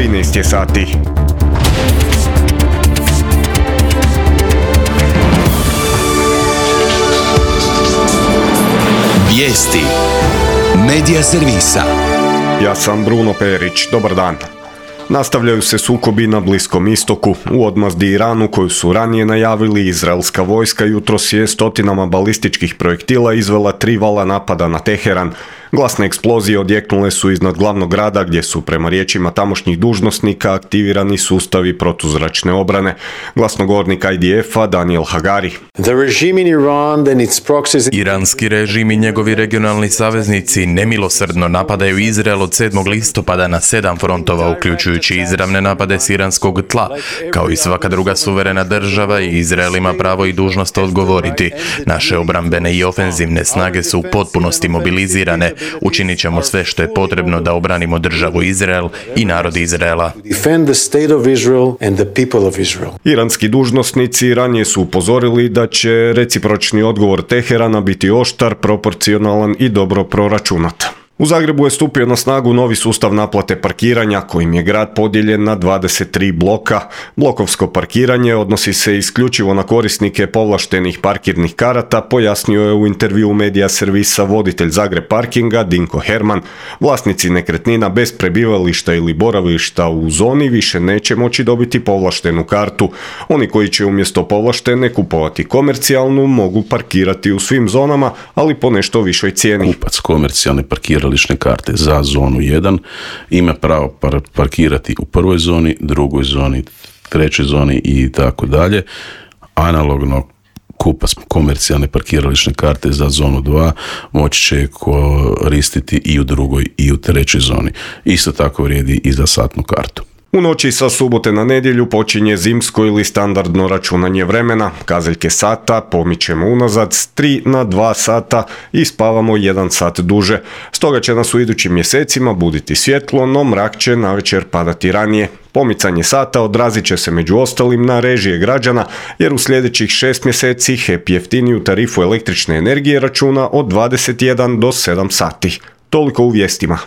13 je sati. Vijesti Medija servisa. Ja sam Bruno Perić, dobar dan. Nastavljaju se sukobi na Bliskom istoku. U odmazdi Iranu, koju su ranije najavili, izraelska vojska jutros je stotinama balističkih projektila izvela 3 vala napada na Teheran. Glasne eksplozije odjeknule su iznad glavnog grada, gdje su, prema riječima tamošnjih dužnosnika, aktivirani sustavi protuzračne obrane. Glasnogovornik IDF-a Daniel Hagari. Iranski režim i njegovi regionalni saveznici nemilosrdno napadaju Izrael od 7. listopada na 7 frontova, uključujući izravne napade s iranskog tla. Kao i svaka druga suverena država, i Izrael ima pravo i dužnost odgovoriti. Naše obrambene i ofenzivne snage su u potpunosti mobilizirane. Učinit ćemo sve što je potrebno da obranimo državu Izrael i narod Izraela. Iranski dužnosnici ranije su upozorili da će recipročni odgovor Teherana biti oštar, proporcionalan i dobro proračunat. U Zagrebu je stupio na snagu novi sustav naplate parkiranja, kojim je grad podijeljen na 23 bloka. Blokovsko parkiranje odnosi se isključivo na korisnike povlaštenih parkirnih karata, pojasnio je u intervjuu Medija servisa voditelj Zagreb parkinga Dinko Herman. Vlasnici nekretnina bez prebivališta ili boravišta u zoni više neće moći dobiti povlaštenu kartu. Oni koji će umjesto povlaštene kupovati komercijalnu mogu parkirati u svim zonama, ali po nešto višoj cijeni. Kupac komercijalne parkirališne karte za zonu 1 ima pravo parkirati u prvoj zoni, drugoj zoni, trećoj zoni i tako dalje. Analogno kupac komercijalne parkirališne karte za zonu 2 moći će koristiti i u drugoj i u trećoj zoni. Isto tako vrijedi i za satnu kartu. U noći sa subote na nedjelju počinje zimsko ili standardno računanje vremena. Kazaljke sata pomičemo unazad s 3 na 2 sata i spavamo 1 sat duže. Stoga će nas u idućim mjesecima buditi svjetlo, no mrak će navečer padati ranije. Pomicanje sata odrazit će se među ostalim na režije građana, jer u sljedećih 6 mjeseci HEP jeftiniju tarifu električne energije računa od 21 do 7 sati. Toliko u vijestima.